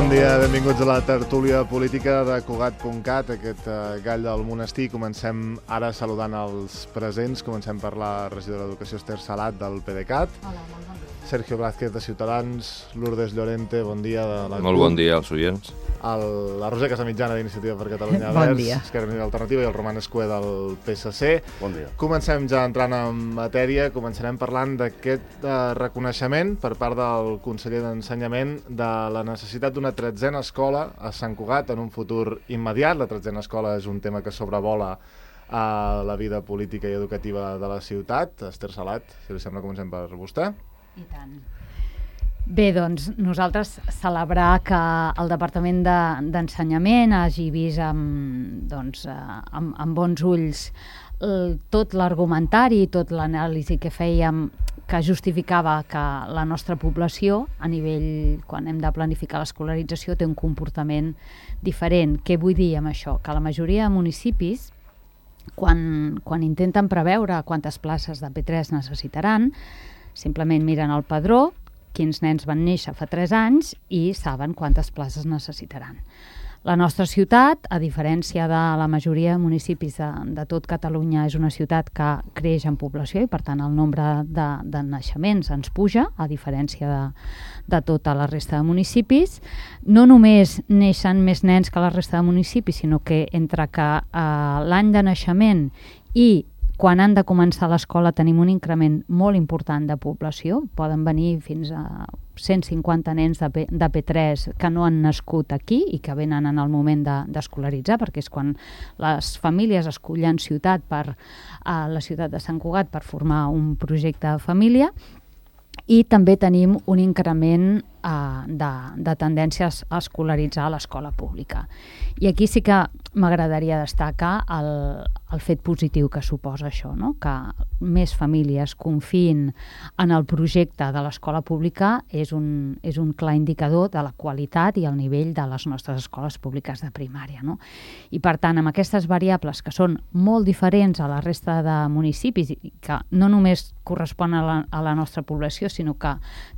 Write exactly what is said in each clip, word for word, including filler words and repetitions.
Bon dia, benvinguts a la tertúlia política de Cugat punt cat, aquest uh, gall del monestir. Comencem ara saludant els presents. Comencem per la regidora d'Educació, Esther Salat, del PDeCAT. Hola, molt bon dia. Sergio Blázquez, de Ciutadans. Lourdes Llorente, bon dia, de la Molt bon dia als oients. El, la Roser Casamitjana, d'Iniciativa per Catalunya Bon Verds, dia. Esquerra Unida i Alternativa, i el Roman Escué, del P S C. Bon dia. Comencem ja entrant en matèria. Començarem parlant d'aquest eh, reconeixement per part del conseller d'Ensenyament de la necessitat d'una tretzena escola a Sant Cugat en un futur immediat. La tretzena escola és un tema que sobrevola a la vida política i educativa de la ciutat. Esther Salat, si li sembla, comencem per vostè. I tant. Bé, doncs, nosaltres celebrar que el Departament de- d'Ensenyament hagi vist amb, doncs, eh, amb, amb bons ulls el, tot l'argumentari, tot l'anàlisi que fèiem que justificava que la nostra població, a nivell, quan hem de planificar l'escolarització, té un comportament diferent. Què vull dir amb això? Que la majoria de municipis, quan, quan intenten preveure quantes places de P tres necessitaran, simplement miren el padró, quins nens van néixer fa tres anys i saben quantes places necessitaran. La nostra ciutat, a diferència de la majoria de municipis de, de tot Catalunya, és una ciutat que creix en població i, per tant, el nombre de, de naixements ens puja, a diferència de, de tota la resta de municipis. No només neixen més nens que la resta de municipis, sinó que entre que eh, l'any de naixement i quan han de començar l'escola tenim un increment molt important de població. Poden venir fins a cent cinquanta nens de, P, de P tres que no han nascut aquí i que venen en el moment de, d'escolaritzar, perquè és quan les famílies escollen ciutat per a la ciutat de Sant Cugat per formar un projecte de família. I també tenim un increment eh, de, de tendències a escolaritzar a l'escola pública. I aquí sí que m'agradaria destacar el, el fet positiu que suposa això, no? Que més famílies confiïn en el projecte de l'escola pública és un, és un clar indicador de la qualitat i el nivell de les nostres escoles públiques de primària, no? I per tant, amb aquestes variables que són molt diferents a la resta de municipis i que no només correspon a la, a la nostra població, sinó que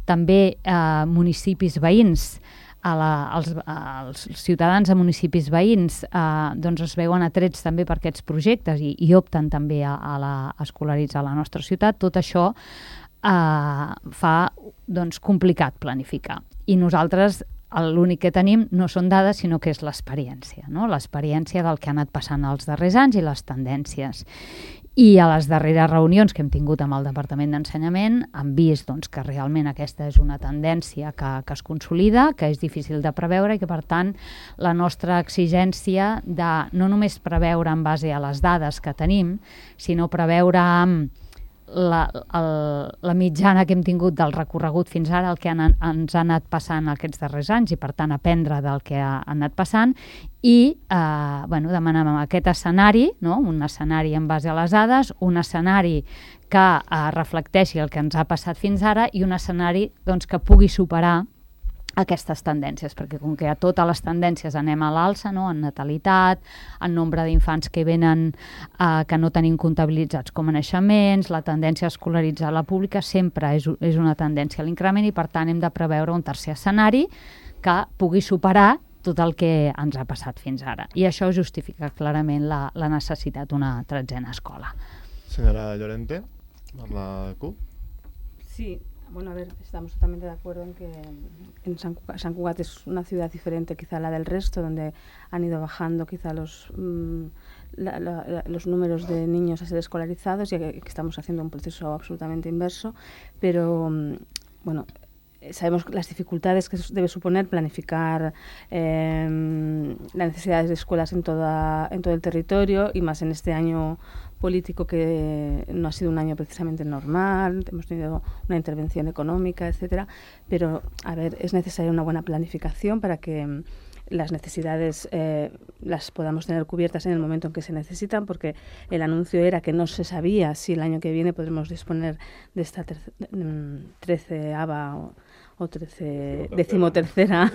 també eh, municipis veïns, a la, als, als ciutadans de municipis veïns eh, doncs es veuen atrets també per aquests projectes i, i opten també a, a, la, a escolaritzar a la nostra ciutat. Tot això eh, fa doncs, complicat planificar. I nosaltres l'únic que tenim no són dades, sinó que és l'experiència, no? L'experiència del que ha anat passant els darrers anys i les tendències. I a les darreres reunions que hem tingut amb el Departament d'Ensenyament hem vist doncs, que realment aquesta és una tendència que, que es consolida, que és difícil de preveure i que, per tant, la nostra exigència de no només preveure en base a les dades que tenim, sinó preveure amb la, el, la mitjana que hem tingut del recorregut fins ara, el que han, ens ha anat passant aquests darrers anys i, per tant, aprendre del que ha, ha anat passant i eh, bueno, demanem aquest escenari, no? Un escenari en base a les dades, un escenari que eh, reflecteixi el que ens ha passat fins ara i un escenari doncs, que pugui superar aquestes tendències, perquè com que a totes les tendències anem a l'alça, no? En natalitat, en nombre d'infants que venen eh, que no tenim comptabilitzats com a naixements, la tendència a escolaritzar la pública sempre és, és una tendència a l'increment i per tant hem de preveure un tercer escenari que pugui superar tot el que ens ha passat fins ara. I això justifica clarament la, la necessitat d'una tretzena escola. Senyora Llorente, per la C U P. Sí. Bueno, a ver, estamos totalmente de acuerdo en que en San Cugat, San Cugat es una ciudad diferente quizá a la del resto, donde han ido bajando quizá los, mmm, la, la, los números de niños a ser escolarizados y que, que estamos haciendo un proceso absolutamente inverso, pero mmm, bueno, sabemos las dificultades que debe suponer planificar eh, las necesidades de escuelas en, toda, en todo el territorio y más en este año político que no ha sido un año precisamente normal, hemos tenido una intervención económica, etcétera, pero a ver, es necesaria una buena planificación para que las necesidades eh, las podamos tener cubiertas en el momento en que se necesitan, porque el anuncio era que no se sabía si el año que viene podremos disponer de esta treceava o, o trece, decimotercera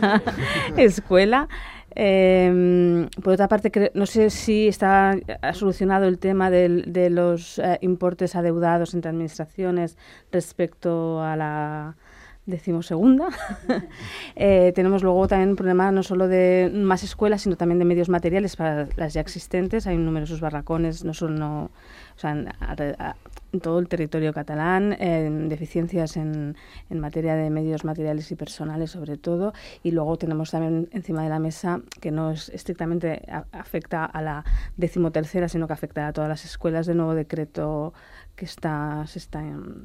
escuela. Eh, por otra parte, cre- no sé si está ha solucionado el tema del, de los eh, importes adeudados entre administraciones respecto a la decimosegunda. eh, tenemos luego también un problema no solo de más escuelas, sino también de medios materiales para las ya existentes. Hay numerosos barracones, no solo no, o sea, en, a, en todo el territorio catalán, eh, deficiencias en, en materia de medios materiales y personales sobre todo. Y luego tenemos también encima de la mesa, que no es estrictamente a, afecta a la decimotercera, sino que afecta a todas las escuelas, de nuevo decreto que está, se está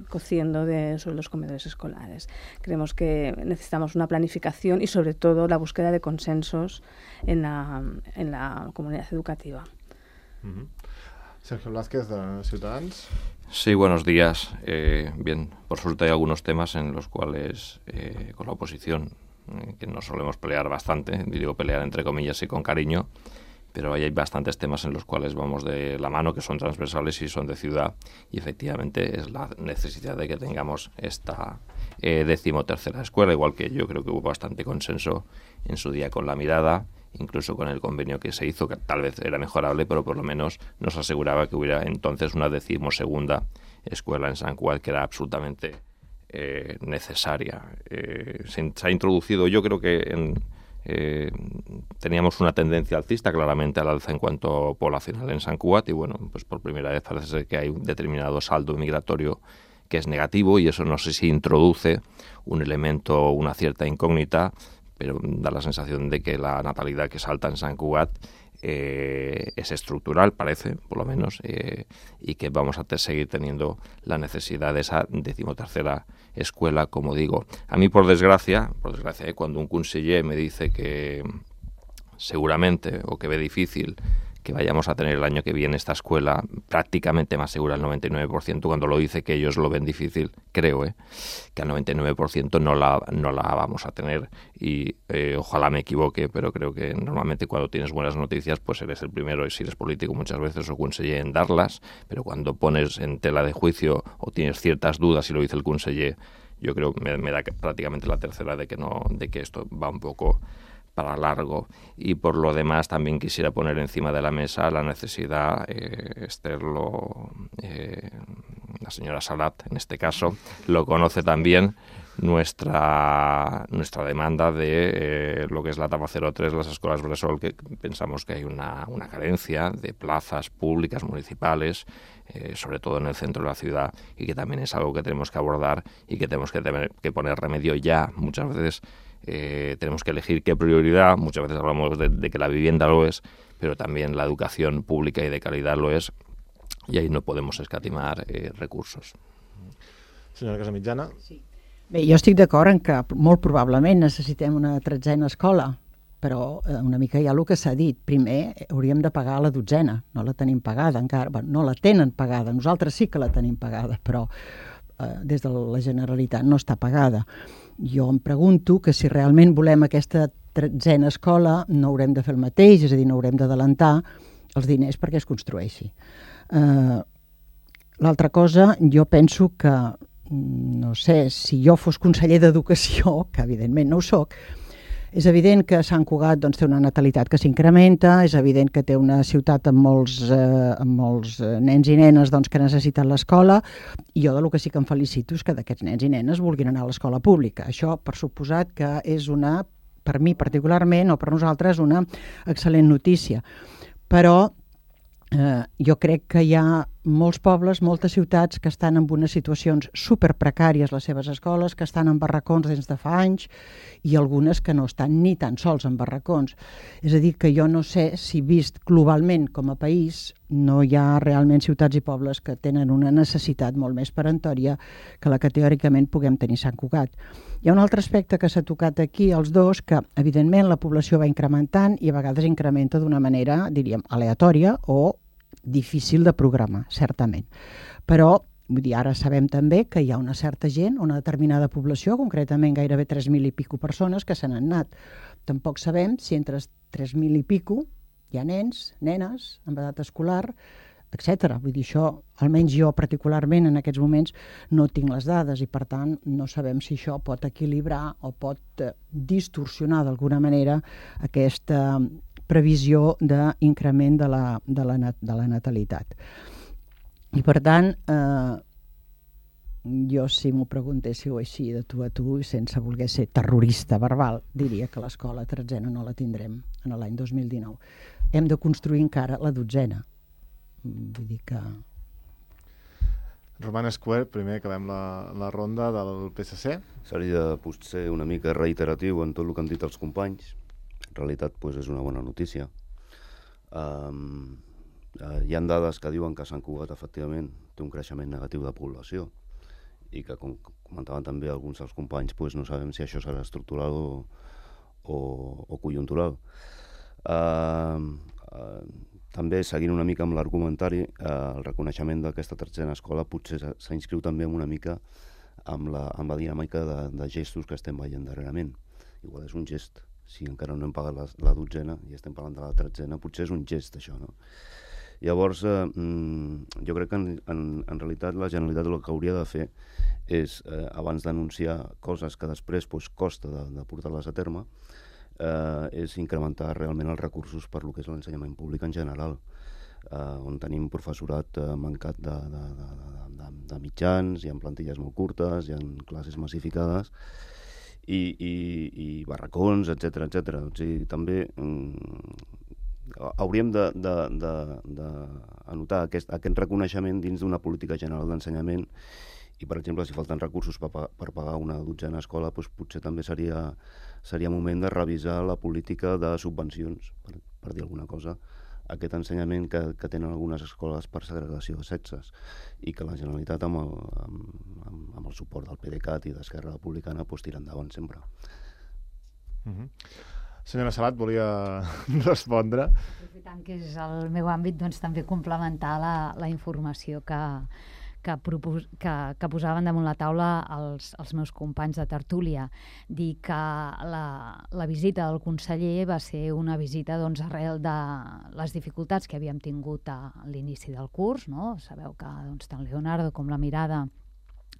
cociendo de, sobre los comedores escolares. Creemos que necesitamos una planificación y sobre todo la búsqueda de consensos en la, en la comunidad educativa. Uh-huh. Sergio Blázquez, de Ciutadans. Sí, buenos días. Eh, bien, por suerte hay algunos temas en los cuales eh, con la oposición, eh, que nos solemos pelear bastante, digo pelear entre comillas y con cariño, pero ahí hay bastantes temas en los cuales vamos de la mano, que son transversales y son de ciudad, y efectivamente es la necesidad de que tengamos esta eh, decimotercera escuela, igual que yo creo que hubo bastante consenso en su día con la mirada, incluso con el convenio que se hizo, que tal vez era mejorable, pero por lo menos nos aseguraba que hubiera entonces una decimosegunda escuela en Sant Cugat, que era absolutamente eh, necesaria. Eh, se, se ha introducido, yo creo que en... Eh, teníamos una tendencia alcista claramente al alza en cuanto poblacional en Sant Cugat y bueno, pues por primera vez parece ser que hay un determinado saldo migratorio que es negativo y eso no sé si introduce un elemento, una cierta incógnita, pero da la sensación de que la natalidad que salta en Sant Cugat eh, es estructural, parece, por lo menos, eh, y que vamos a te seguir teniendo la necesidad de esa decimotercera escuela, como digo. A mí, por desgracia, por desgracia, eh, cuando un conseller me dice que seguramente, o que ve difícil, que vayamos a tener el año que viene esta escuela prácticamente más segura al noventa y nueve por ciento, cuando lo dice que ellos lo ven difícil, creo eh, que al noventa y nueve por ciento no la, no la vamos a tener y eh, ojalá me equivoque, pero creo que normalmente cuando tienes buenas noticias pues eres el primero, y si eres político muchas veces o conseller en darlas, pero cuando pones en tela de juicio o tienes ciertas dudas y lo dice el conseller, yo creo que me, me da prácticamente la tercera de que, no, de que esto va un poco para largo. Y por lo demás también quisiera poner encima de la mesa la necesidad, eh, Esther lo, eh, la señora Salat en este caso lo conoce también, nuestra nuestra demanda de eh, lo que es la etapa cero tres, las escuelas Bressol, que pensamos que hay una, una carencia de plazas públicas municipales, eh, sobre todo en el centro de la ciudad, y que también es algo que tenemos que abordar y que tenemos que, tener, que poner remedio ya. Muchas veces Eh, tenemos que elegir qué prioridad, muchas veces hablamos de, de que la vivienda lo es, pero también la educación pública y de calidad lo es, y ahí no podemos escatimar eh, recursos. Senyora Casamitjana. Sí. Bé, jo estic d'acord en que molt probablement necessitem una tretzena escola, però eh, una mica ja el que s'ha dit. Primer hauríem de pagar la dotzena, no la tenim pagada encara, bueno, no la tenen pagada, nosaltres sí que la tenim pagada, però eh, des de la Generalitat no està pagada. Jo em pregunto que si realment volem aquesta tretzena escola no haurem de fer el mateix, és a dir, no haurem d'adelantar els diners perquè es construeixi. Uh, l'altra cosa, jo penso que, no sé, si jo fos conseller d'Educació, que evidentment no ho soc, és evident que Sant Cugat doncs, té una natalitat que s'incrementa, és evident que té una ciutat amb molts, eh, amb molts nens i nenes doncs, que necessiten l'escola, i jo del que sí que em felicito és que d'aquests nens i nenes vulguin anar a l'escola pública. Això, per suposat, que és una, per mi particularment, o per nosaltres, una excel·lent notícia. Però eh, jo crec que hi ha molts pobles, moltes ciutats que estan en unes situacions superprecàries les seves escoles, que estan en barracons des de fa anys i algunes que no estan ni tan sols en barracons. És a dir, que jo no sé si vist globalment com a país no hi ha realment ciutats i pobles que tenen una necessitat molt més peremptòria que la que teòricament puguem tenir Sant Cugat. Hi ha un altre aspecte que s'ha tocat aquí, els dos, que evidentment la població va incrementant i a vegades incrementa d'una manera, diríem, aleatòria o difícil de programar, certament. Però, vull dir, ara sabem també que hi ha una certa gent, una determinada població, concretament gairebé tres mil i pico persones que se n'han anat. Tampoc sabem si entre tres mil i pico hi ha nens, nenes, amb edat escolar, etcètera. Vull dir, això, almenys jo particularment en aquests moments no tinc les dades i per tant no sabem si això pot equilibrar o pot distorsionar d'alguna manera aquesta previsió d'increment de la, de, la, de la natalitat. I per tant, eh, jo, si m'ho preguntéssiu així de tu a tu, i sense voler ser terrorista verbal, diria que l'escola tretzena no la tindrem en l'any dos mil dinou. Hem de construir encara la dotzena. Vull dir que... Roman Square, primer acabem la, la ronda del P S C. Seria potser una mica reiteratiu en tot el que han dit els companys. En realitat pues, és una bona notícia. Um, uh, hi ha dades que diuen que Sant Cugat efectivament té un creixement negatiu de població i que, com comentaven també alguns dels companys, pues, no sabem si això serà estructural o, o, o conjuntural. Uh, uh, també, seguint una mica amb l'argumentari, uh, el reconeixement d'aquesta tretzena escola potser s'inscriu també una mica amb la, amb la dinàmica de, de gestos que estem veient darrerament. Igual és un gest. Si encara no hem pagat la, la dotzena i estem parlant de la tretzena, potser és un gest, això, no? Llavors, eh, jo crec que en, en, en realitat la Generalitat el que hauria de fer és, eh, abans d'anunciar coses que després pues, costa de, de portar-les a terme, eh, és incrementar realment els recursos per lo que és l'ensenyament públic en general, eh, on tenim professorat eh, mancat de, de, de, de, de, de mitjans, hi ha plantilles molt curtes, hi ha classes massificades, i, i, i barracons, etcètera, etcètera. O sigui, també mm, hauríem d'anotar aquest, aquest reconeixement dins d'una política general d'ensenyament i, per exemple, si falten recursos per, per pagar una dotzena escola, doncs potser també seria, seria moment de revisar la política de subvencions, per, per dir alguna cosa, aquest ensenyament que, que tenen algunes escoles per segregació de sexes i que la Generalitat amb el, amb, amb, amb el suport del P D C A T i d'Esquerra Republicana pues, tira endavant sempre. Uh-huh. Senyora Salat, volia respondre. Aprofitant que és el meu àmbit, doncs també complementar la, la informació que, que, propos, que, que posaven damunt la taula els, els meus companys de tertúlia. Dir que la, la visita del conseller va ser una visita doncs, arrel de les dificultats que havíem tingut a l'inici del curs, no? Sabeu que doncs, tant Leonardo com la Mirada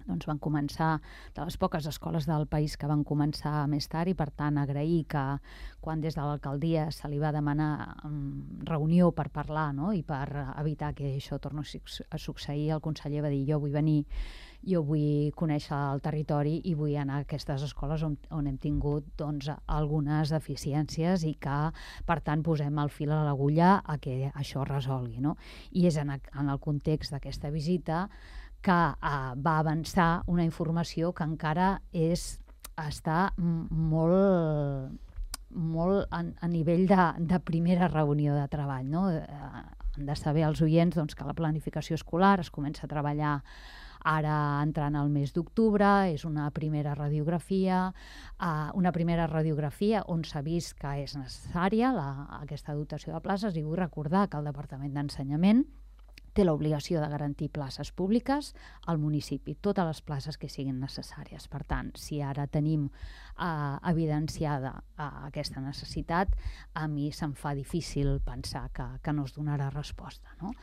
doncs van començar, de les poques escoles del país que van començar més tard, i per tant agrair que quan des de l'alcaldia se li va demanar um, reunió per parlar, no? I per evitar que això tornés a succeir, el conseller va dir jo vull venir, jo vull conèixer el territori i vull anar a aquestes escoles on, on hem tingut doncs, algunes deficiències i que per tant posem el fil a l'agulla a que això es resolgui, no? I és en, en el context d'aquesta visita que uh, va avançar una informació que encara és, està molt, molt a, a nivell de, de primera reunió de treball, no? Uh, han de saber els oients doncs, que la planificació escolar es comença a treballar ara entrant al mes d'octubre, és una primera radiografia, uh, una primera radiografia on s'ha vist que és necessària la, aquesta dotació de places, i vull recordar que el Departament d'Ensenyament té l'obligació de garantir places públiques al municipi, totes les places que siguin necessàries. Per tant, si ara tenim eh, evidenciada eh, aquesta necessitat, a mi se'm fa difícil pensar que, que no es donarà resposta, no?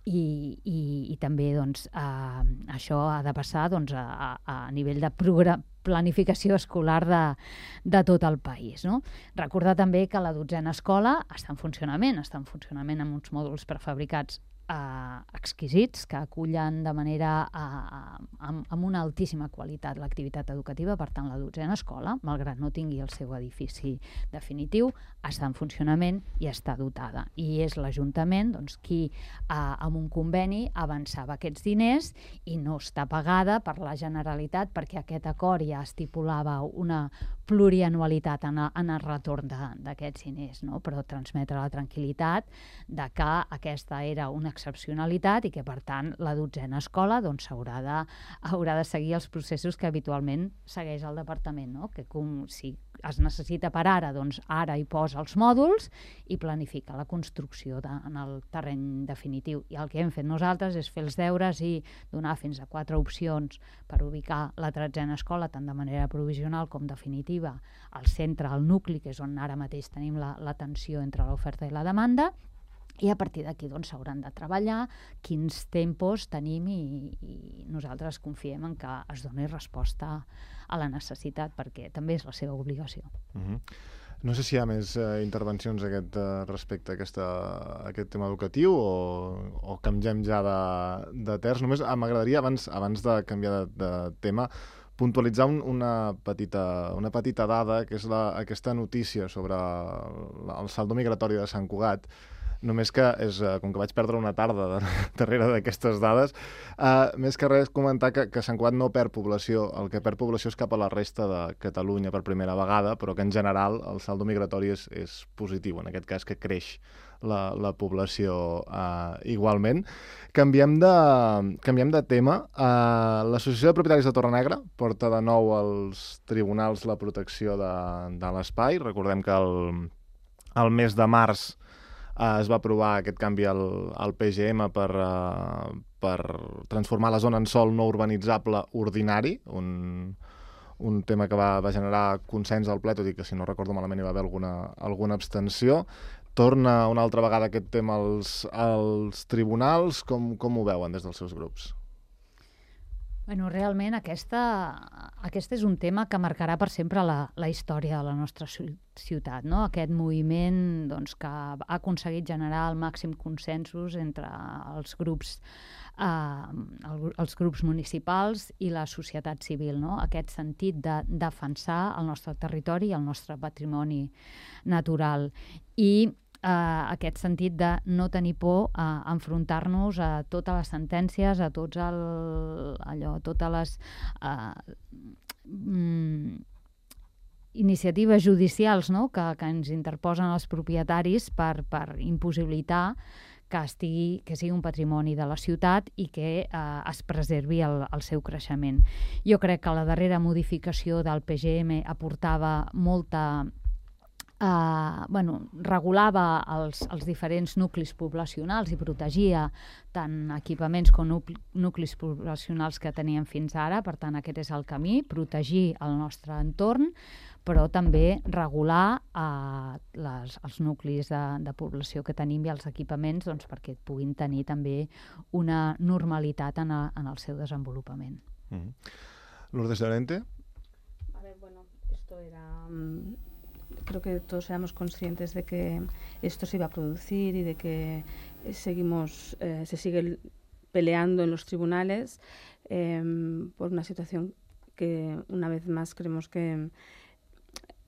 I, i, i també doncs, eh, això ha de passar doncs, a, a nivell de programa, planificació escolar de, de tot el país, no? Recordar també que la dotzena escola està en funcionament, està en funcionament amb uns mòduls prefabricats Uh, exquisits, que acullen de manera uh, amb, amb una altíssima qualitat l'activitat educativa. Per tant, la dotzena escola, malgrat no tingui el seu edifici definitiu, està en funcionament i està dotada. I és l'Ajuntament doncs, qui, uh, amb un conveni, avançava aquests diners i no està pagada per la Generalitat, perquè aquest acord ja estipulava una plurianualitat en, a, en el retorn d'aquests diners, no? Però transmetre la tranquil·litat de que aquesta era una excepcionalitat i que, per tant, la dotzena escola doncs, haurà, de, haurà de seguir els processos que habitualment segueix el departament, no? Que com, si es necessita per ara, doncs ara hi posa els mòduls i planifica la construcció de, en el terreny definitiu. I el que hem fet nosaltres és fer els deures i donar fins a quatre opcions per ubicar la tretzena escola, tant de manera provisional com definitiva, al centre, al nucli, que és on ara mateix tenim la, la tensió entre l'oferta i la demanda, i a partir d'aquí doncs, s'hauran de treballar quins tempos tenim i, i nosaltres confiem en que es doni resposta a la necessitat, perquè també és la seva obligació. Uh-huh. No sé si hi ha més eh, intervencions a aquest, eh, respecte a, aquesta, a aquest tema educatiu o, o canviem ja de, de terç. Només m'agradaria, abans, abans de canviar de, de tema, puntualitzar un, una, petita, una petita dada, que és la, aquesta notícia sobre el, el saldo migratori de Sant Cugat. Només que, és, com que vaig perdre una tarda de, darrere d'aquestes dades, uh, més que res comentar que, que Sant Cugat no perd població, el que perd població és cap a la resta de Catalunya per primera vegada, però que en general el saldo migratori és, és positiu, en aquest cas que creix la, la població uh, igualment. Canviem de, canviem de tema. Uh, L'Associació de Propietaris de Torrenegra porta de nou als tribunals la protecció de, de l'espai. Recordem que el, el mes de març Uh, es va aprovar aquest canvi al, al P G M per, uh, per transformar la zona en sòl no urbanitzable ordinari, un, un tema que va, va generar consens al ple, tot i que, si no recordo malament, hi va haver alguna, alguna abstenció. Torna una altra vegada aquest tema als, als tribunals. Com, com ho veuen des dels seus grups? Bueno, realment aquesta, aquest és un tema que marcarà per sempre la, la història de la nostra ciutat, no? Aquest moviment doncs, que ha aconseguit generar el màxim consensos entre els grups, eh, els grups municipals i la societat civil, no? Aquest sentit de defensar el nostre territori i el nostre patrimoni natural. I Uh, aquest sentit de no tenir por a enfrontar-nos a totes les sentències, a tots el, allò, totes les uh, mm, iniciatives judicials, no? que, que ens interposen els propietaris per, per impossibilitar que, estigui, que sigui un patrimoni de la ciutat i que eh, es preservi el, el seu creixement. Jo crec que la darrera modificació del P G M aportava molta Uh, bueno, regulava els, els diferents nuclis poblacionals i protegia tant equipaments com nuclis poblacionals que teníem fins ara. Per tant, aquest és el camí, protegir el nostre entorn, però també regular uh, les, els nuclis de, de població que tenim i els equipaments, doncs, perquè puguin tenir també una normalitat en, a, en el seu desenvolupament. Mm-hmm. Lourdes Llorente. A ver, bueno, esto era... Um... Creo que todos éramos conscientes de que esto se iba a producir y de que seguimos, eh, se sigue peleando en los tribunales eh, por una situación que una vez más creemos que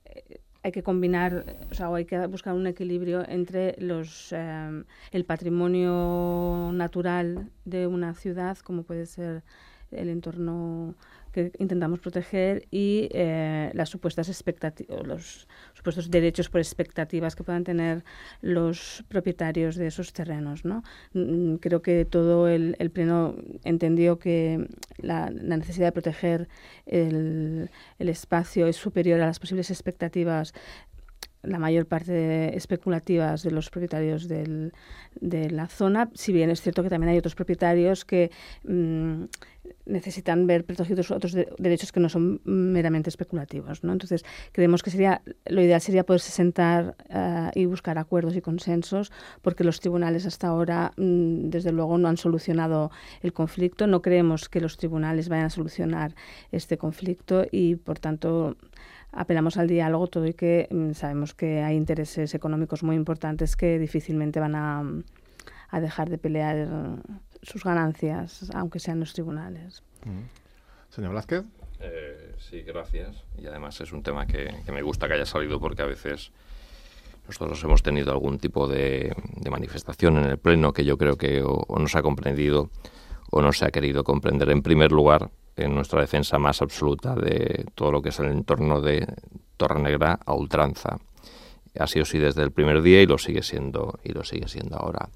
eh, hay que combinar, o sea, o hay que buscar un equilibrio entre los eh, el patrimonio natural de una ciudad, como puede ser el entorno que intentamos proteger, y eh, las supuestas expectativas, los supuestos derechos por expectativas que puedan tener los propietarios de esos terrenos, ¿no? Creo que todo el, el Pleno entendió que la, la necesidad de proteger el, el espacio es superior a las posibles expectativas, la mayor parte especulativas de los propietarios del, de la zona, si bien es cierto que también hay otros propietarios que mmm, necesitan ver protegidos otros de, derechos que no son meramente especulativos, ¿no? Entonces, creemos que sería lo ideal sería poderse sentar uh, y buscar acuerdos y consensos, porque los tribunales hasta ahora, mmm, desde luego, no han solucionado el conflicto. No creemos que los tribunales vayan a solucionar este conflicto y, por tanto, apelamos al diálogo, todo y que mmm, sabemos que hay intereses económicos muy importantes que difícilmente van a, a dejar de pelear sus ganancias, aunque sean los tribunales. Mm. Señor Blázquez. Eh, sí, gracias. Y además es un tema que, que me gusta que haya salido, porque a veces nosotros hemos tenido algún tipo de, de manifestación en el Pleno que yo creo que o, o no se ha comprendido o no se ha querido comprender. En primer lugar, en nuestra defensa más absoluta de todo lo que es el entorno de Torrenegra a ultranza. Ha sido así desde el primer día y lo sigue siendo, y lo sigue siendo ahora.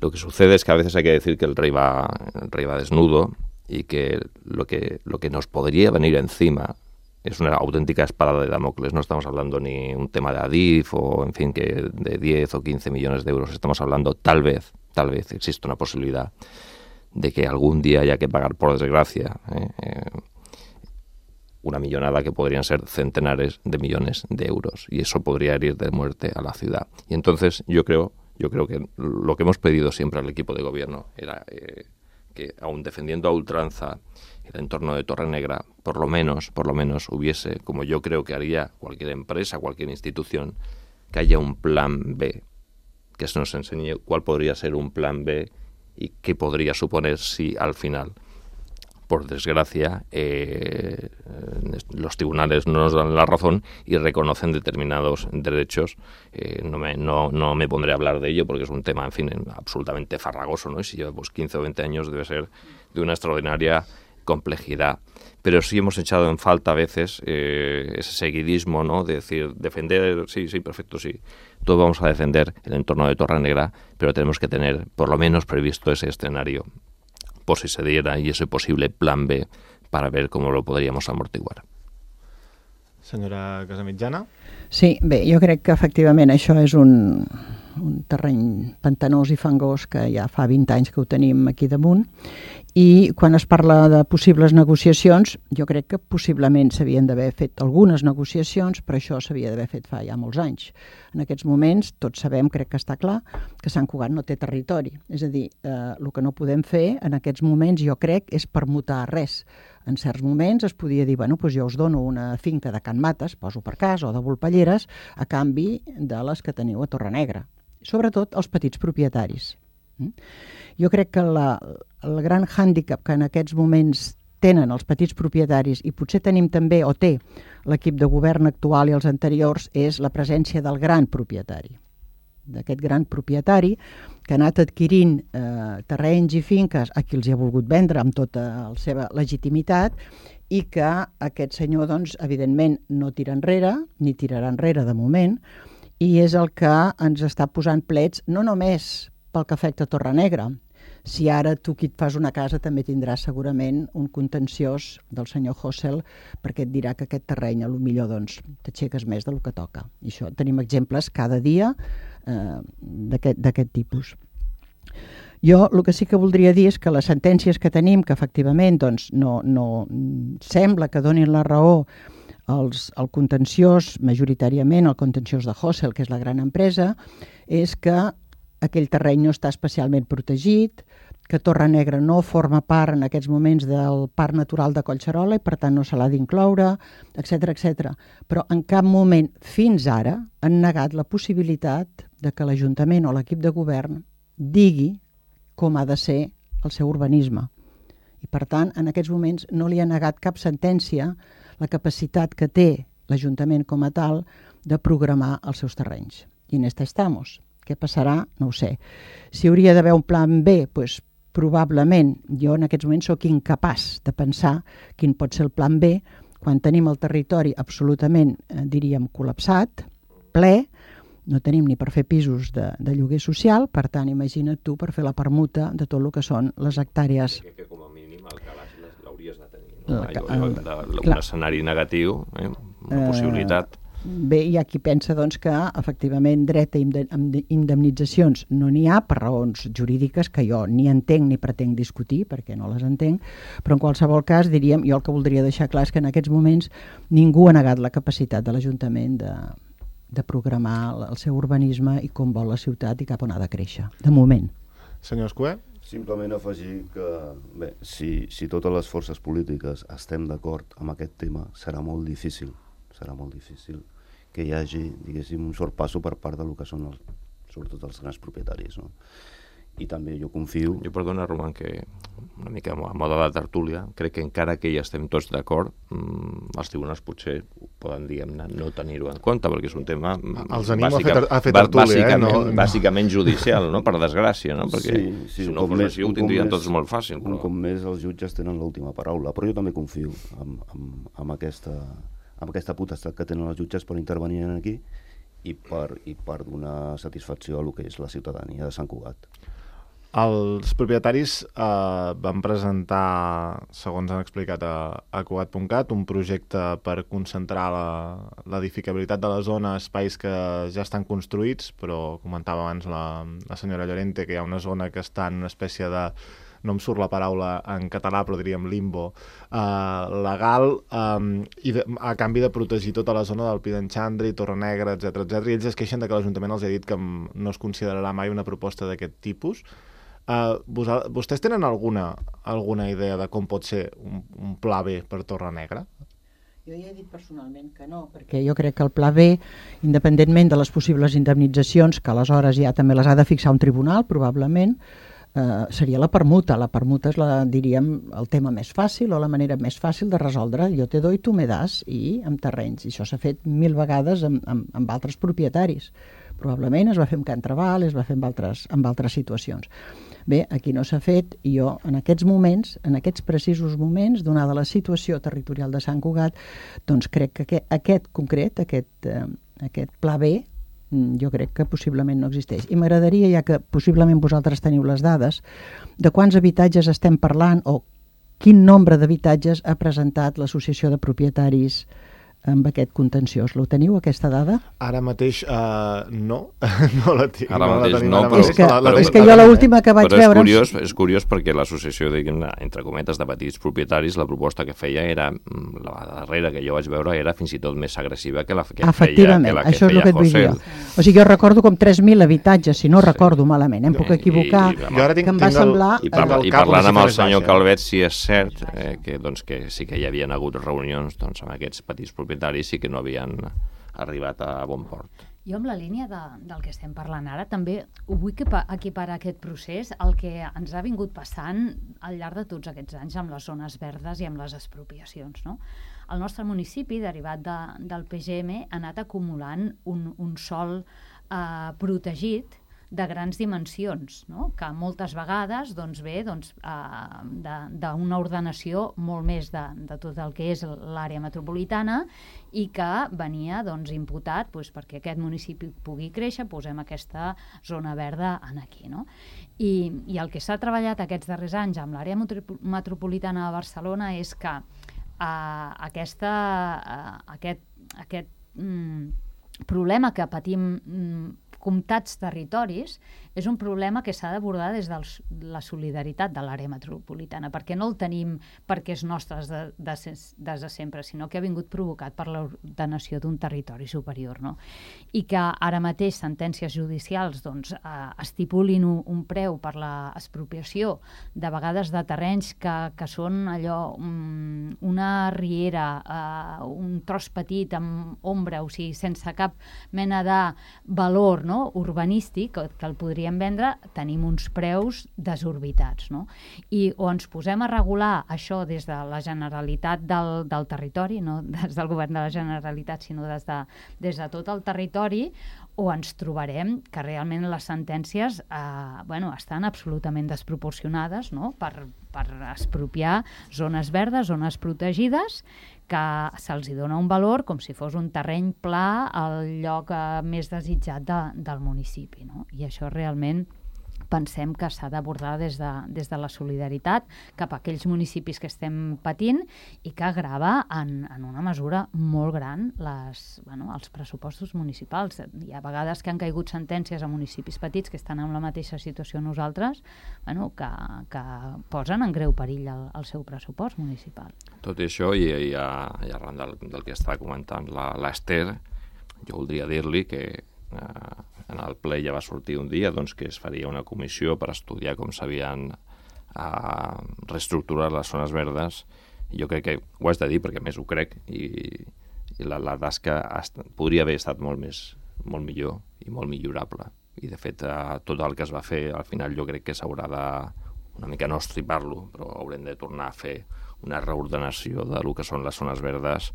Lo que sucede es que a veces hay que decir que el rey va, el rey va desnudo, y que lo, que lo que nos podría venir encima es una auténtica espada de Damocles. No estamos hablando ni un tema de Adif o, en fin, que de diez o quince millones de euros. Estamos hablando, tal vez, tal vez existe una posibilidad de que algún día haya que pagar, por desgracia, eh, eh, una millonada que podrían ser centenares de millones de euros, y eso podría herir de muerte a la ciudad. Y entonces yo creo, yo creo que lo que hemos pedido siempre al equipo de gobierno era eh, que aun defendiendo a ultranza el entorno de Torrenegra, por lo menos, por lo menos hubiese, como yo creo que haría cualquier empresa, cualquier institución, que haya un plan B, que se nos enseñe cuál podría ser un plan B y qué podría suponer si al final, por desgracia, eh, los tribunales no nos dan la razón y reconocen determinados derechos. Eh, no, me, no, no me pondré a hablar de ello porque es un tema, en fin, absolutamente farragoso, ¿no? Y si lleva pues, quince o veinte años debe ser de una extraordinaria complejidad. Pero sí hemos echado en falta a veces eh, ese seguidismo, ¿no? De decir, defender, sí, sí, perfecto, sí. Todos vamos a defender el entorno de Torrenegra, pero tenemos que tener por lo menos previsto ese escenario por si se diera y ese posible plan B para ver cómo lo podríamos amortiguar. Senyora Casamitjana? Sí, bé, jo crec que efectivament això és un, un terreny pantanós i fangós que ja fa vint anys que ho tenim aquí damunt, i quan es parla de possibles negociacions, jo crec que possiblement s'havien d'haver fet algunes negociacions, però això s'havia d'haver fet fa ja molts anys. En aquests moments, tots sabem, crec que està clar, que Sant Cugat no té territori. És a dir, eh, el que no podem fer en aquests moments, jo crec, és permutar res. En certs moments es podia dir, bueno, doncs jo us dono una finca de Can Mates, poso per cas, o de Volpelleres, a canvi de les que teniu a Torrenegra. Sobretot els petits propietaris. Jo crec que la, el gran hàndicap que en aquests moments tenen els petits propietaris, i potser tenim també, o té, l'equip de govern actual i els anteriors, és la presència del gran propietari. D'aquest gran propietari que ha anat adquirint eh, terrenys i finques a qui els ha volgut vendre amb tota la seva legitimitat, i que aquest senyor, doncs, evidentment, no tira enrere, ni tirarà enrere de moment, i és el que ens està posant plets, no només pel que afecta a Torrenegra. Si ara tu qui et fas una casa també tindràs segurament un contenciós del senyor Hossel, perquè et dirà que aquest terreny a lo millor doncs, t'aixeques més del que toca. I això tenim exemples cada dia eh, d'aquest tipus. Jo el que sí que voldria dir és que les sentències que tenim, que efectivament doncs, no, no sembla que donin la raó als, al contenciós, majoritàriament el contenciós de Hossel, que és la gran empresa, és que aquell terreny no està especialment protegit, que Torrenegra no forma part en aquests moments del Parc Natural de Collserola i per tant no se l'ha d'incloure, etcètera, etcètera. Però en cap moment fins ara han negat la possibilitat de que l'Ajuntament o l'equip de govern digui com ha de ser el seu urbanisme. I per tant, en aquests moments no li ha negat cap sentència la capacitat que té l'Ajuntament com a tal de programar els seus terrenys. I en esta estamos. Què passarà? No ho sé. Si hauria d'haver un plan B, doncs probablement jo en aquests moments sóc incapaç de pensar quin pot ser el plan B quan tenim el territori absolutament, eh, diríem, col·lapsat, ple, no tenim ni per fer pisos de, de lloguer social, per tant, imagina't tu per fer la permuta de tot el que són les hectàrees. Que, que com a mínim el calaix l'hauries de tenir. No? La, la, la, un escenari negatiu, eh? Una possibilitat. Bé, hi ha qui pensa doncs, que efectivament dret a indemnitzacions no n'hi ha per raons jurídiques que jo ni entenc ni pretenc discutir perquè no les entenc, però en qualsevol cas diríem, jo el que voldria deixar clar és que en aquests moments ningú ha negat la capacitat de l'Ajuntament de, de programar el seu urbanisme i com vol la ciutat i cap on ha de créixer, de moment. Senyor Escuer? Simplement afegir que bé, si, si totes les forces polítiques estem d'acord amb aquest tema serà molt difícil serà molt difícil que hi hagi, diguéssim, un sorpasso per part del que són els, sobretot els grans propietaris, no? I també jo confio... Jo, perdona, Roman, que una mica a moda de tertúlia, crec que encara que hi estem tots d'acord, mmm, els tribunals potser poden, diguem-ne, no tenir-ho en compte, perquè és un tema... Els animo bàsica, a, fer, a fer tertúlia, eh? No, no, bàsicament judicial, no? Per desgràcia, no? Perquè sí, sí, si no fos així ho tindrien tots molt fàcil. Un cop més els jutges tenen l'última paraula, però jo també confio en, en, en aquesta... amb aquesta potestat que tenen els jutges per intervenir aquí i per, i per donar satisfacció a el que és la ciutadania de Sant Cugat. Els propietaris eh, van presentar, segons han explicat a, a Cugat punt cat, un projecte per concentrar l'edificabilitat de la zona a espais que ja estan construïts, però comentava abans la, la senyora Llorente que hi ha una zona que està en una espècie de... no em surt la paraula en català, però diríem limbo, eh, legal, eh, i de, a canvi de protegir tota la zona del Pi d'en Xandri, Torrenegra, etcètera, etcètera. I ells es queixen de que l'Ajuntament els ha dit que no es considerarà mai una proposta d'aquest tipus. Uh, vostès tenen alguna, alguna idea de com pot ser un, un pla B per Torrenegra? Jo ja he dit personalment que no, perquè jo crec que el pla B, independentment de les possibles indemnitzacions, que aleshores ja també les ha de fixar un tribunal, probablement, eh, seria la permuta. La permuta és, la, diríem, el tema més fàcil o la manera més fàcil de resoldre. Jo te doy, tu me das, i amb terrenys. I això s'ha fet mil vegades amb, amb, amb altres propietaris. Probablement es va fer amb Can Trabal, es va fer amb altres, amb altres situacions. Bé, aquí no s'ha fet, i jo en aquests moments, en aquests precisos moments, donada la situació territorial de Sant Cugat, doncs crec que aquest, aquest concret, aquest, eh, aquest pla B, jo crec que possiblement no existeix. I m'agradaria, ja que possiblement vosaltres teniu les dades, de quants habitatges estem parlant o quin nombre d'habitatges ha presentat l'Associació de Propietaris amb aquest contenciós. Lo teniu, aquesta dada? Ara mateix uh, no, no la tinc. Ara no mateix la tenim, no, ara però... És que, la, la, és la, que la, jo la, l'última que vaig però veure... és curiós, és curiós perquè l'associació, diguem-ne, entre cometes, de petits propietaris, la proposta que feia era, la darrera que jo vaig veure, era fins i tot més agressiva que la que feia, que la que això és el feia que et vull dir José. jo. O sigui, jo recordo com tres mil habitatges, si no Sí. recordo malament, em puc I- equivocar, i- i- Jo ara tinc, que em va tinc el, semblar... I, tinc parla, al i cap parlant una amb el xifra senyor baixa. Calvet, sí és cert eh, que, doncs, que sí que hi havien hagut reunions doncs, amb aquests petits propietaris i que no havien arribat a bon port. Jo amb la línia de, del que estem parlant ara també ho vull equipa- equiparar aquest procés al que ens ha vingut passant al llarg de tots aquests anys amb les zones verdes i amb les expropiacions, no? El nostre municipi, derivat de, del P G M, ha anat acumulant un, un sòl eh, protegit de grans dimensions, no? Que moltes vegades doncs, ve doncs, eh, d'una ordenació molt més de, de tot el que és l'àrea metropolitana i que venia doncs, imputat doncs, perquè aquest municipi pugui créixer, posem aquesta zona verda en aquí. No? I, I el que s'ha treballat aquests darrers anys amb l'àrea metropolitana de Barcelona és que eh, aquesta, eh, aquest, aquest mm, problema que patim mm, comtats territoris és un problema que s'ha d'abordar des de la solidaritat de l'àrea metropolitana, perquè no el tenim perquè és nostre des de, de, des de sempre, sinó que ha vingut provocat per l'ordenació d'un territori superior. No? I que ara mateix sentències judicials doncs, eh, estipulin un, un preu per l'expropiació de vegades de terrenys que, que són allò, um, una riera, eh, un tros petit amb ombra, o sigui, sense cap mena de valor, no? urbanístic, que, que el podríem vendre, tenim uns preus desorbitats. No? I o ens posem a regular això des de la Generalitat del, del territori, no des del govern de la Generalitat, sinó des de, des de tot el territori, o ens trobarem que realment les sentències eh, bueno, estan absolutament desproporcionades, no? per, per expropiar zones verdes, zones protegides, que se'ls dona un valor com si fos un terreny pla al lloc eh, més desitjat de, del municipi. No? I això realment pensem que s'ha d'abordar des, de, des de la solidaritat cap a aquells municipis que estem patint i que agrava en, en una mesura molt gran les, bueno, els pressupostos municipals. Hi ha vegades que han caigut sentències a municipis petits que estan en la mateixa situació nosaltres, bueno, que, que posen en greu perill el, el seu pressupost municipal. Tot i això, i, i, i arran del, del que està comentant l'Ester, jo voldria dir-li que eh, en el ple ja va sortir un dia doncs, que es faria una comissió per estudiar com s'havien eh, reestructurat les zones verdes. I jo crec que ho has de dir perquè més ho crec i, i la, la tasca estat, podria haver estat molt més molt millor i molt millorable. I de fet eh, tot el que es va fer al final jo crec que s'haurà de una mica no estripar-lo, però haurem de tornar a fer una reordenació de lo que són les zones verdes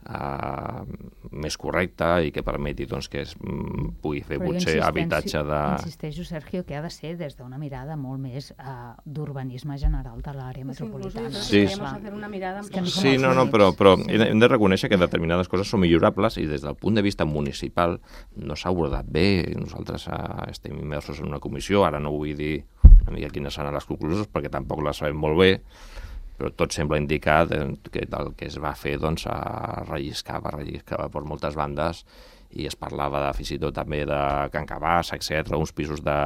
Uh, més correcta i que permeti doncs, que es mm, pugui fer Però potser habitatge de... Insisteixo, Sergio, que ha de ser des d'una mirada molt més uh, d'urbanisme general de l'àrea metropolitana. Sí, sí. Hacer una mirada És que no som Sí, els no, no, únics. però, però hem de reconèixer que determinades coses són millorables i des del punt de vista municipal no s'ha abordat bé. Nosaltres uh, estem immersos en una comissió, ara no vull dir una mica quines seran les conclusions perquè tampoc les sabem molt bé, però tot sembla indicar que el que es va fer doncs, relliscava, relliscava per moltes bandes i es parlava de, fins i tot també de Can Cabàs, etcètera, uns pisos de,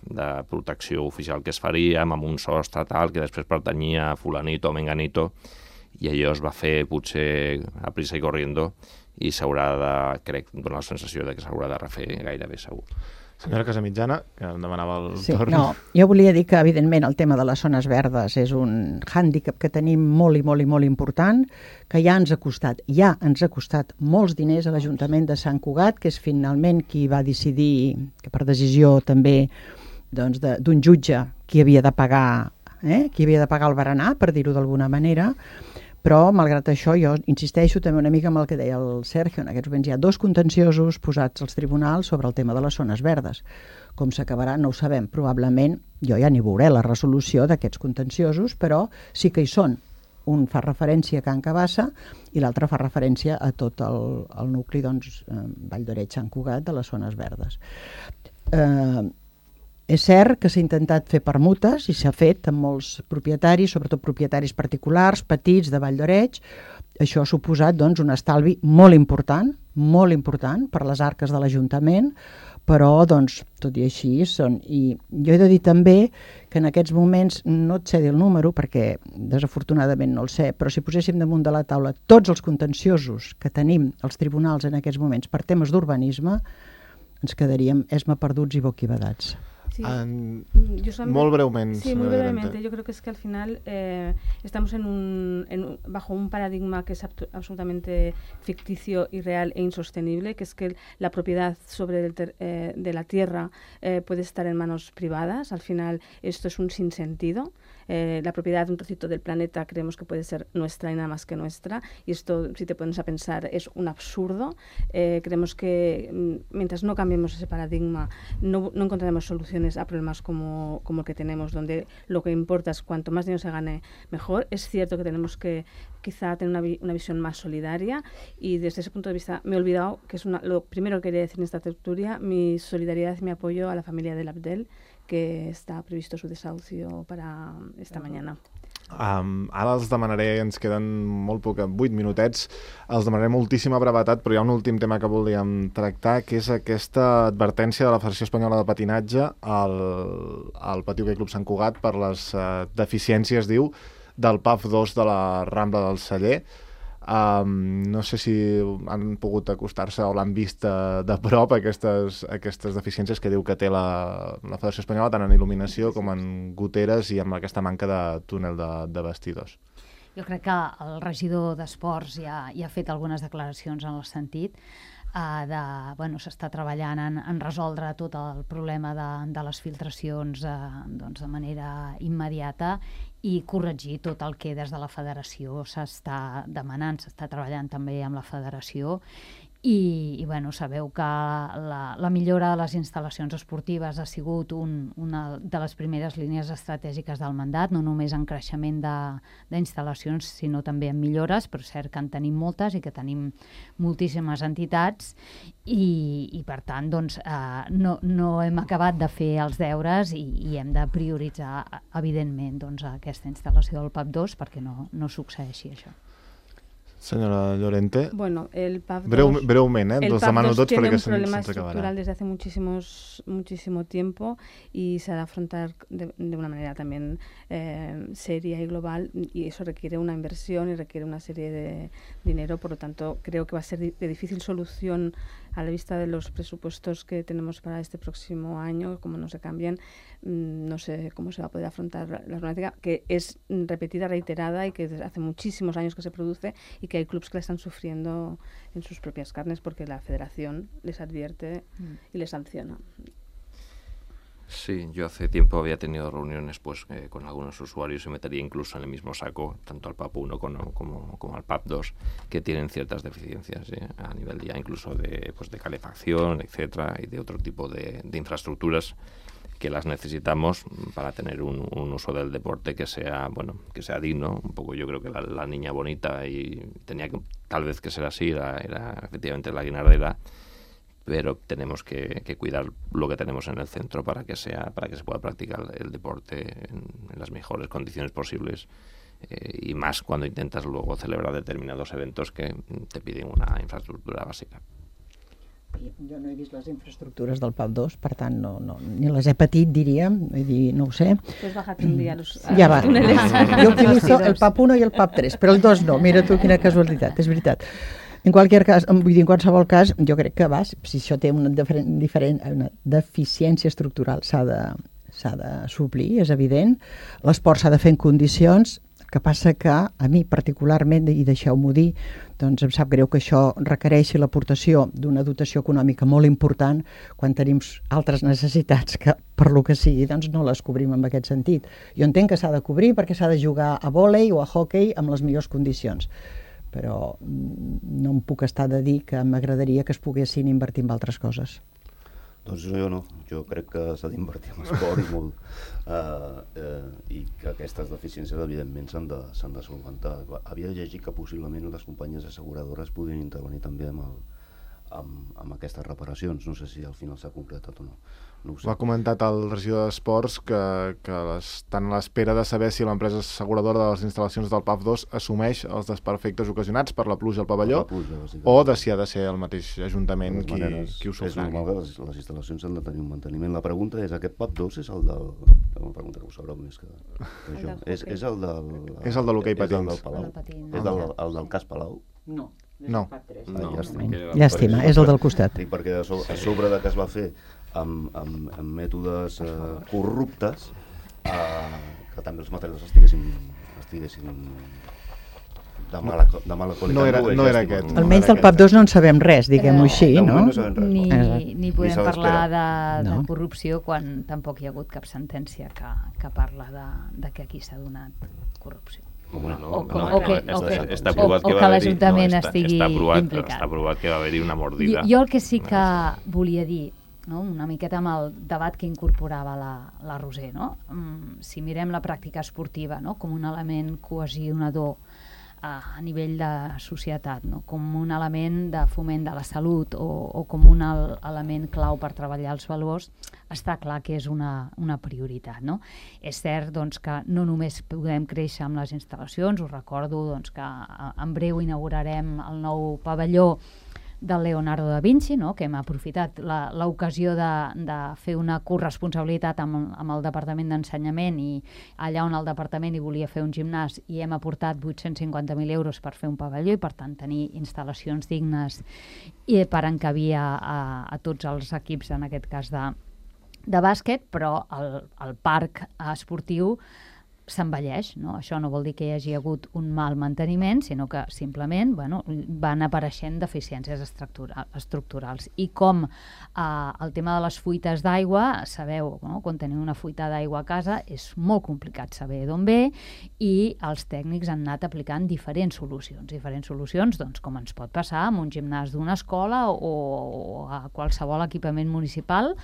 de protecció oficial que es faria amb un sostre tal, que després pertanyia a fulanito o menganito, i allò es va fer potser a prisa i corriendo i s'haurà de, crec, donar la sensació de que s'haurà de refer gairebé segur. Senyora Casamitjana, que em demanava el Sí, torn. no, jo volia dir que, evidentment, el tema de les zones verdes és un hàndicap que tenim molt i molt i molt important, que ja ens ha costat, ja ens ha costat molts diners a l'Ajuntament de Sant Cugat, que és finalment qui va decidir, que per decisió també doncs, de, d'un jutge, qui havia de pagar, eh? qui havia de pagar el berenar, per dir-ho d'alguna manera. Però, malgrat això, jo insisteixo també una mica amb el que deia el Sergio. En aquests moments hi ha dos contenciosos posats als tribunals sobre el tema de les zones verdes. Com s'acabarà no ho sabem. Probablement, jo ja ni veuré la resolució d'aquests contenciosos, però sí que hi són. Un fa referència a Can Cabassa i l'altre fa referència a tot el, el nucli, doncs, eh, Vall d'Oreig, Sant Cugat, de les zones verdes. Eh... És cert que s'ha intentat fer permutes i s'ha fet amb molts propietaris, sobretot propietaris particulars, petits, de Vall d'Oreig. Això ha suposat doncs, un estalvi molt important, molt important per les arques de l'Ajuntament, però doncs, tot i així són. I jo he de dir també que en aquests moments, no et sé dir el número perquè desafortunadament no el sé, però si poséssim damunt de la taula tots els contenciosos que tenim als tribunals en aquests moments per temes d'urbanisme, ens quedaríem esma perduts i boquibadats. Sí. En... Yo solamente... Molt breument. Sí, muy brevemente. Yo creo que es que al final eh, estamos en un, en, bajo un paradigma que es absolutamente ficticio, irreal e insostenible, que es que la propiedad sobre el ter, eh, de la tierra eh, puede estar en manos privadas. Al final esto es un sinsentido. Eh, la propiedad de un trocito del planeta creemos que puede ser nuestra y nada más que nuestra, y esto, si te pones a pensar, es un absurdo. Eh, creemos que mm, mientras no cambiemos ese paradigma no, no encontraremos soluciones a problemas como, como el que tenemos, donde lo que importa es cuanto más dinero se gane mejor. Es cierto que tenemos que quizá tener una, vi una visión más solidaria, y desde ese punto de vista me he olvidado, que es una, lo primero que quería decir en esta tertulia, mi solidaridad y mi apoyo a la familia del Abdel, que està previsto su desahucio para esta mañana. Um, ara els demanaré, ens queden molt poc, vuit minutets, els demanaré moltíssima brevetat, però hi ha un últim tema que volíem tractar, que és aquesta advertència de la Federació Espanyola de Patinatge al, al Pati Hoquei Club Sant Cugat per les uh, deficiències, diu, del P A F dos de la Rambla del Celler. Um, no sé si han pogut acostar-se o l'han vist de, de prop aquestes, aquestes deficiències que diu que té la, la Federació Espanyola, tant en il·luminació com en goteres i amb aquesta manca de túnel de, de vestidors. Jo crec que el regidor d'Esports ja, ja ha fet algunes declaracions en el sentit Uh, de, bueno, s'està treballant en, en resoldre tot el problema de, de les filtracions uh, doncs de manera immediata i corregir tot el que des de la federació s'està demanant, s'està treballant també amb la federació. I, i bueno, sabeu que la, la millora de les instal·lacions esportives ha sigut un, una de les primeres línies estratègiques del mandat, no només en creixement d'instal·lacions, sinó també en millores, però és cert que en tenim moltes i que tenim moltíssimes entitats i, i per tant doncs, eh, no, no hem acabat de fer els deures i, i hem de prioritzar evidentment doncs, aquesta instal·lació del P A P dos perquè no, no succeeixi això. Señora Llorente, bueno, el P A P dos, Breu, breumente, ¿eh? Los demano tots tiene perquè un problema se'ns acabarà. estructural desde hace muchísimos, muchísimo tiempo y se ha de afrontar de, de una manera también eh, seria y global, y eso requiere una inversión y requiere una serie de dinero, por lo tanto creo que va a ser de difícil solución a la vista de los presupuestos que tenemos para este próximo año, como no se cambian, no sé cómo se va a poder afrontar la problemática, que es repetida, reiterada y que desde hace muchísimos años que se produce y que hay clubes que la están sufriendo en sus propias carnes porque la federación les advierte mm. y les sanciona. Sí, yo hace tiempo había tenido reuniones pues eh, con algunos usuarios y metería incluso en el mismo saco tanto al P A P uno como, como, como al P A P dos, que tienen ciertas deficiencias ¿eh? a nivel ya incluso de, pues, de calefacción, etcétera, y de otro tipo de, de infraestructuras que las necesitamos para tener un, un uso del deporte que sea bueno que sea digno. Un poco yo creo que la, la niña bonita y tenía que tal vez que ser así, era, era efectivamente la guinardera, pero tenemos que, que cuidar lo que tenemos en el centro para que sea para que se pueda practicar el deporte en, en las mejores condiciones posibles eh, y más cuando intentas luego celebrar determinados eventos que te piden una infraestructura básica. Jo no he vist les infraestructures del P A P dos, per tant no, no, ni les he patit, diríem, vull dir, no ho sé. Pues bájate un día a los, a ja va. los túneles. Jo utilitzo el P A P uno i el P A P tres, però el dos no, mira tu quina casualitat, és veritat. En qualsevol cas, vull dir, en qualsevol cas, jo crec que va, si això té una, diferent, diferent, una deficiència estructural, s'ha de, s'ha de suplir, és evident. L'esport s'ha de fer en condicions, que passa que a mi particularment, i deixeu-m'ho dir, doncs em sap greu que això requereixi l'aportació d'una dotació econòmica molt important quan tenim altres necessitats que, per lo que sigui, doncs no les cobrim en aquest sentit. Jo entenc que s'ha de cobrir perquè s'ha de jugar a vòlei o a hoquei amb les millors condicions, però no em puc estar de dir que m'agradaria que es poguessin invertir en altres coses. Doncs jo no, jo crec que s'ha d'invertir en esport i molt, uh, uh, i que aquestes deficiències evidentment s'han de, s'han de solventar. Havia llegit que possiblement les companyies asseguradores podrien intervenir també amb, el, amb, amb aquestes reparacions, no sé si al final s'ha concretat o no. No ho sé. Ho ha comentat el regidor d'Esports que, que estan a l'espera de saber si l'empresa asseguradora de les instal·lacions del P A F dos assumeix els desperfectes ocasionats per la pluja al pavelló La pluja, o de si ha de ser el mateix Ajuntament qui, maneres, qui ho és sufragui. normal que les, les instal·lacions han de tenir un manteniment. La pregunta és, aquest P A F dos és el del... Una pregunta que ho sabreu més que, que jo. És, és el del... És el de l'hoquei patins. És el del Palau. El patins. És del, el del cas Palau. No. No. Ah, No, llàstima. que- Llàstima, és el del costat. Dic perquè a sobre, a sobre de que es va fer amb, amb, amb mètodes eh, corruptes, eh, que també els materials estiguessin, estiguessin de mala, de mala qualitat. No era- és no era llàstima. aquest. No Almenys era del P A F dos no en sabem res, diguem-ho Eh, així, de no? moment no sabem res. Ni, Exacte. ni Ni podem se l'espera. parlar de, de No. corrupció quan tampoc hi ha hagut cap sentència que, que parla de, de que aquí s'ha donat corrupció. Bueno, no, O com- no, o que- està, o que- està o- aprovat o que que va haver-hi- l'Ajuntament no, està, estigui està aprovat, implicat. Està aprovat que va haver-hi una Jo, mordida. jo el que sí que volia dir, no? Una miqueta amb el debat que incorporava la, la Roser, no? Mm, si mirem la pràctica esportiva, no? Com un element cohesionador a, a nivell de societat, no? Com un element de foment de la salut o, o com un el, element clau per treballar els valors, està clar que és una, una prioritat, no? És cert doncs, que no només podem créixer amb les instal·lacions, us recordo doncs, que a, en breu inaugurarem el nou pavelló del Leonardo da Vinci, no? Que hem aprofitat la- l'ocasió de, de fer una corresponsabilitat amb, amb el Departament d'Ensenyament i allà on el Departament hi volia fer un gimnàs i hem aportat vuit-cents cinquanta mil euros per fer un pavelló i per tant tenir instal·lacions dignes i per encabir a, a, a tots els equips, en aquest cas de, de bàsquet, però el, el parc esportiu s'envelleix, no? Això no vol dir que hi hagi hagut un mal manteniment, sinó que simplement bueno, van apareixent deficiències estructura estructurals. I com eh, el tema de les fuites d'aigua, sabeu, no? Quan teniu una fuita d'aigua a casa és molt complicat saber d'on ve i els tècnics han anat aplicant diferents solucions. Diferents solucions, doncs, com ens pot passar amb un gimnàs d'una escola o, o a qualsevol equipament municipal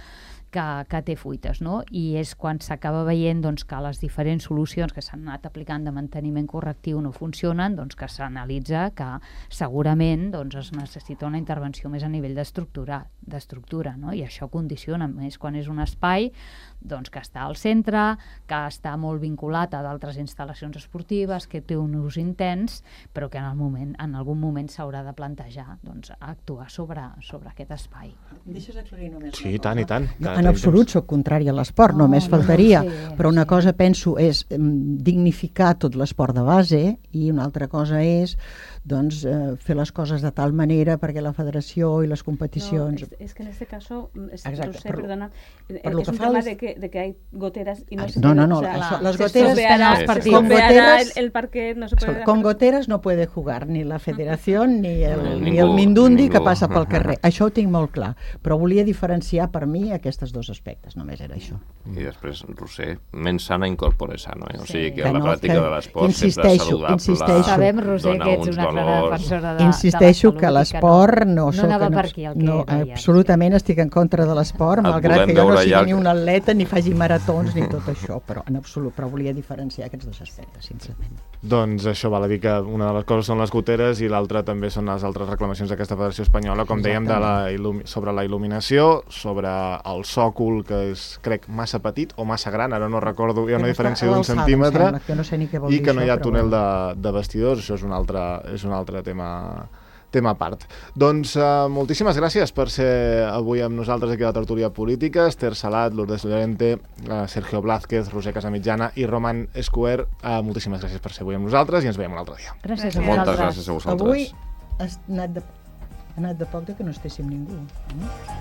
que, que té fuites, no? I és quan s'acaba veient doncs, que les diferents solucions que s'han anat aplicant de manteniment correctiu no funcionen, doncs que s'analitza que segurament doncs, es necessita una intervenció més a nivell d'estructura, d'estructura, no? I això condiciona més quan és un espai doncs, que està al centre, que està molt vinculat a d'altres instal·lacions esportives, que té un ús intens, però que en, el moment, en algun moment s'haurà de plantejar doncs, actuar sobre, sobre aquest espai. Deixes aclarir només Sí, i tant, i tant. No, en absolut sóc contrària a l'esport, No, només no, faltaria, no, sí, però una sí. cosa penso és em, dignificar tot l'esport de base i una altra cosa és doncs, eh, fer les coses de tal manera perquè la federació i les competicions... No, es, es que en este caso, es, Exacte, no sé, per- perdona, per es lo que un fa tema les- de que, de que hay goteras y no Ay, se no, puede, no, no, o sea, eso, las se goteras estropeará- están se con estropeará goteras- el, el parquet, no se puede dejar- Con goteres no puede jugar ni la federación ni el, No, ni ningú, el Mindundi ningú. que passa pel carrer. Això ho tinc molt clar, però volia diferenciar per mi aquests dos aspectes, només era això. I després, Roser, mens sana incorpore sano, eh? O Sí. sigui que Que la no, pràctica que de l'esport sempre insisteixo, saludable, insisteixo. Sabem, Roser, dona que ets uns una clara valors. defensora de, Insisteixo de la que salut i l'esport no, no, soc... no anava en per abs- aquí el que no, deies. absolutament estic en contra de l'esport, Et malgrat volem que jo no veure sigui ja ni que- un atleta ni faci maratons ni tot això, però en absolut, però volia diferenciar aquests dos aspectes, sincerament. Doncs això val a dir que una de les coses són les goteres i l'altra també són les altres reclamacions d'aquesta Federació Espanyola, com dèiem, de la il·lumi- sobre la il·luminació, sobre el sòcol, que és, crec, massa petit o massa gran, ara no recordo, hi ha una Que no està diferència a d'un l'alçada, em centímetre, sembla, que no sé ni què vol i dir que no hi això, ha però túnel bueno. de, de vestidors, això és un altre, és un altre tema tema a part. Doncs uh, moltíssimes gràcies per ser avui amb nosaltres aquí a la tertúlia política. Esther Salat, Lourdes Llorente, uh, Sergio Blázquez, Roser Casamitjana i Roman Escuer. Uh, moltíssimes gràcies per ser avui amb nosaltres i ens veiem un altre dia. Gràcies a Moltes vosaltres. gràcies a vosaltres. Avui ha anat de, ha anat de poc de que no estéssim ningú. No?